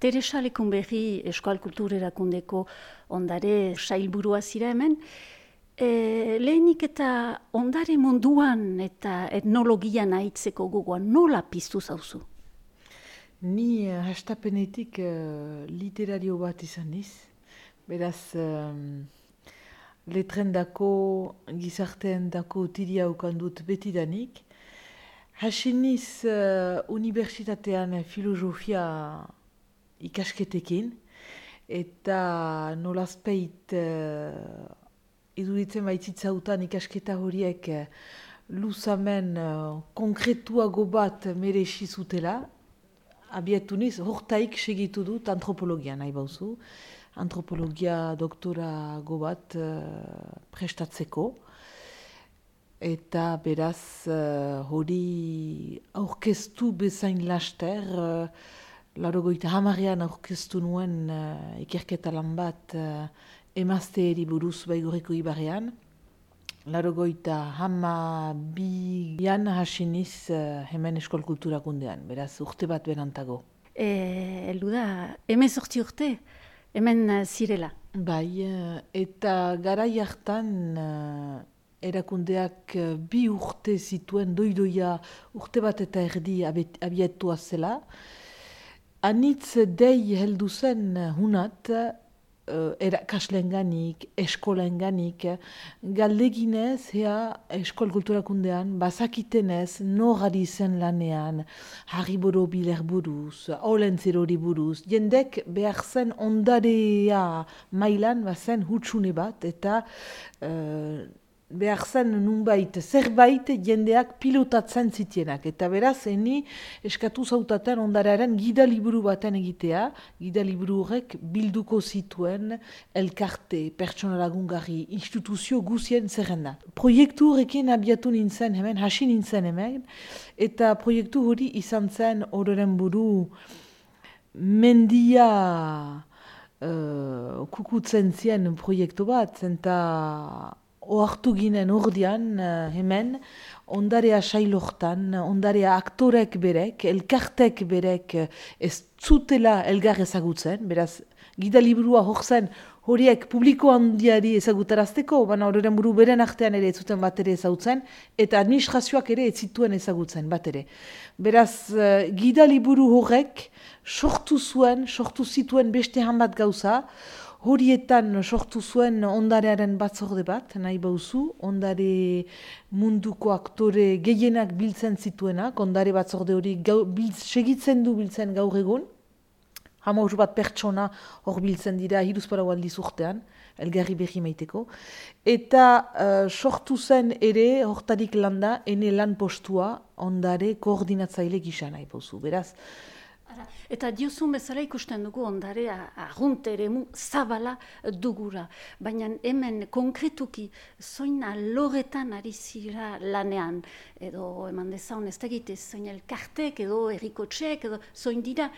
Teresa Lekunberri Euskal Kultur Erakundeko ondare sailburua zira hemen. Lehenik eta ondare munduan eta etnologian ahitzeko gogoan nola piztu zauzu? Ni hastapenetik literario bat izan niz. Beraz, letrendako, gizarteendako tiria ukandut betidanik. Hasi niz unibertsitatean filosofia ikasketekin, eta nolazpeit iduritzen baitzitzautan ikasketa horiek luzamen konkretuago bat merexi zutela. Abietu niz, hortaik segitu dut antropologia nahi bauzu. Antropologia doktorago bat prestatzeko. Eta beraz hori aurkeztu bezain laster, 80ean aurkeztu nuen ikerketa lan bat emazteeri buruz Baigorriko ibarrean. 82an hasi niz hemen Eskol Kulturakundean, beraz urte bat berantago. Heldu da, 18 urte, hemen zirela. Bai, eta garai hartan erakundeak 2 urte zituen doidoia urte bat eta erdi abietua zela. Anitz dei heldu zen hunat, erakaslenganik, eskolenganik, galdeginez Eskol Kulturakundean, bazakitenez, norari zen lanean, Harri Borobiler buruz, Olentzerori buruz, jendek behar zen ondarea mailan bazen hutsune bat, eta behar zen nunbait, zerbait jendeak pilotatzen zitienak. Eta beraz, eni eskatu zautaten ondarearen gida liburu baten egitea, gida liburu horrek bilduko zituen elkarte, pertsona lagungarri, instituzio guzien zerrenda. Proiektu horrekin abiatu nintzen hemen, hasi nintzen hemen, eta proiektu hori izan zen ororen buru mendia kukutzen zien proiektu bat, eta ohartu ginen ordian hemen, ondarea sailortan, ondarea aktorek berek, elkartek berek ez zutela elgar ezagutzen, beraz, gida liburua hor zen horiek publiko handiari ezagutarazteko, baina horren buru beren artean ere ez zuten bat ere ezagutzen, eta administrazioak ere ez zituen ezagutzen bat ere. Beraz, gida liburu horrek sortu zituen beste hanbat gauza, horietan sortu zuen ondarearen batzorde bat, nahi bauzu, ondare munduko aktore gehienak biltzen zituenak, ondare batzorde hori segitzen du biltzen gaur egun, 15 bat pertsona hor biltzen dira hiruzpalau aldiz urtean, elgarri berri maiteko, eta sortu zen ere hortarik landa, ene lan postua ondare koordinatzaile gisa nahi bauzu, beraz. Eta diozun bezala ikusten dugu ondare arrunt eremu zabala dugura. Baina hemen konkretuki zoin alorretan ari zira lanean, edo eman dezaun ez tegite zoin elkartek edo errikotxek, edo zoin dira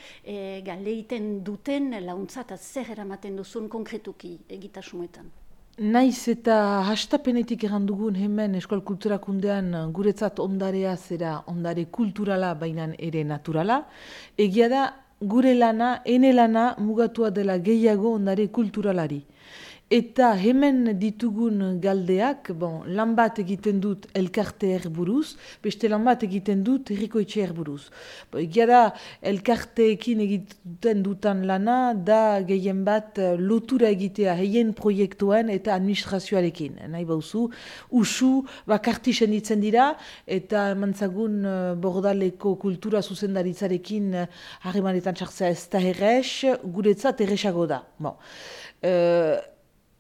galeiten duten launtza eta zer eramaten duzun konkretuki egitasmoetan. Naiz eta hastapenetik errandugun hemen Eskol Kulturakundean guretzat ondarea zera ondare kulturala bainan ere naturala. Egia da gure lana, ene lana mugatua dela gehiago ondare kulturalari. Eta hemen ditugun galdeak, lan bat egiten dut elkarte buruz, beste lan bat egiten dut herrikoetxe buruz. Egia da, elkarteekin egiten dutan lana, da gehien bat lotura egitea heien proiektuen eta administrazioarekin. Nahi bauzu, usu bakartisen ditzen dira, eta mantzagun Bordaleko kultura zuzendaritzarekin harremanetan txartzea ez da errex, guretzat errexago da.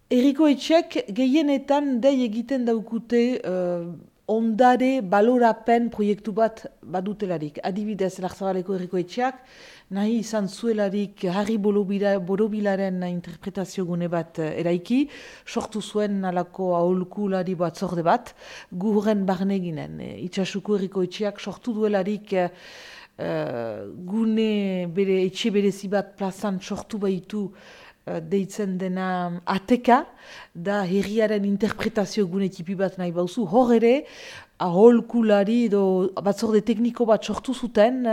Herrikoetxek gehienetan dei egiten daukute ondare balorapen proiektu bat badutelarik. Adibidez, Larzabaleko herrikoetxeak nahi izan zuelarik Harri Borobilaren interpretazio gune bat eraiki, sortu zuen alako aholkulari batzorde bat, guren barne ginen. Itxasuko herrikoetxeak sortu duelarik gune bere etxe berezi bat plazan sortu baitu deitzen dena ateka, da herriaren interpretazio gune tipi bat nahi bauzu, hor ere, aholkulari edo batzorde tekniko bat sortu zuten,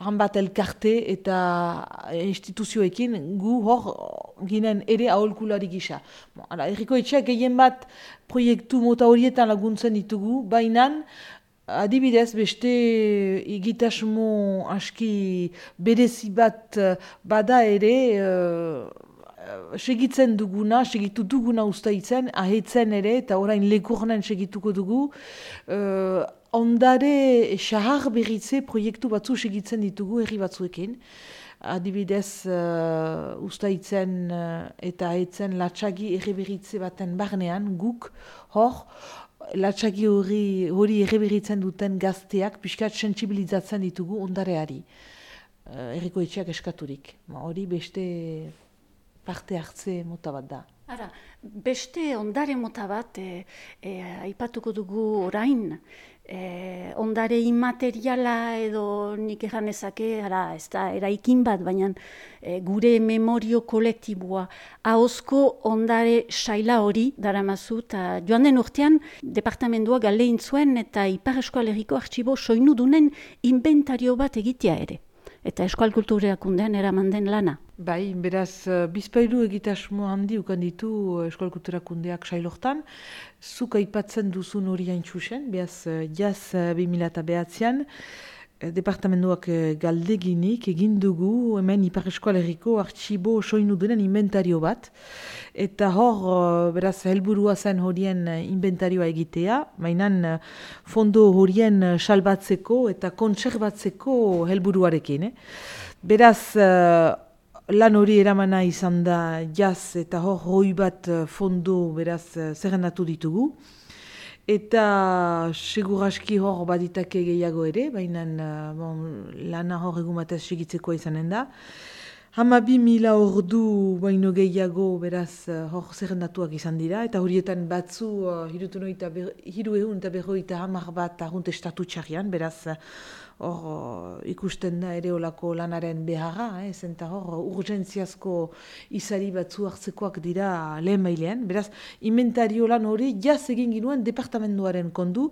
han bat elkarte eta instituzioekin gu hor ginen ere aholkulari gisa. Herriko etxeak gehien bat proiektu mota horietan laguntzen ditugu, baina adibidez beste egitasmo aski berezi bat bada ere, segitu duguna ustaitzen, ahetzen ere, eta orain lekurnen segituko dugu, ondare xahar berritze proiektu batzu segitzen ditugu herri batzuekin. Adibidez, ustaitzen eta ahetzen latxagi erreberritze baten barnean, guk hor, latxagi hori erreberritzen duten gazteak pixkat sentsibilizatzen ditugu ondareari. Herriko etxeak eskaturik. Hori beste parte hartze mota bat da. Ara, beste ondare mota bat aipatuko dugu orain, ondare immateriala edo nik egan ezake, ez da eraikin bat, baina gure memorio kolektiboa, ahozko ondare saila hori daramazu, eta joan den urtean departamendua galdein zuen eta Ipar Euskal Herriko artxibo soinudunen inventario bat egitea ere. Eta Euskal Kultura Erakundean eraman den lana. Bai, beraz, bizpailu egitasmo handi ukan ditu Euskal Kultura Erakundeak sailortan. Zuk aipatzen duzun hori haintxusen, beraz, jaz 2009an, departamentuak galdeginik egin dugu hemen Ipar Euskal Herriko artxibo soinudenen inventario bat. Eta hor, beraz, helburua zen horien inventarioa egitea, mainan fondo horien salbatzeko eta kontserbatzeko helburuarekin. Beraz, lan hori eramana izan da jaz eta hor hoi bat fondo beraz zerrendatu ditugu. Eta seguraski hor baditake gehiago ere, baina lana hor egun batez segitzeko izanen da. 12.000 ordu baino gehiago beraz hor zerrendatuak izan dira, eta horietan batzu 350 bat arrunt estatu txarrian, beraz hor ikusten da ere olako lanaren beharra, eta hor urgentziazko izari batzu hartzekoak dira lehen mailean. Beraz, inventario lan hori jaz egin ginuen departamentuaren kondu,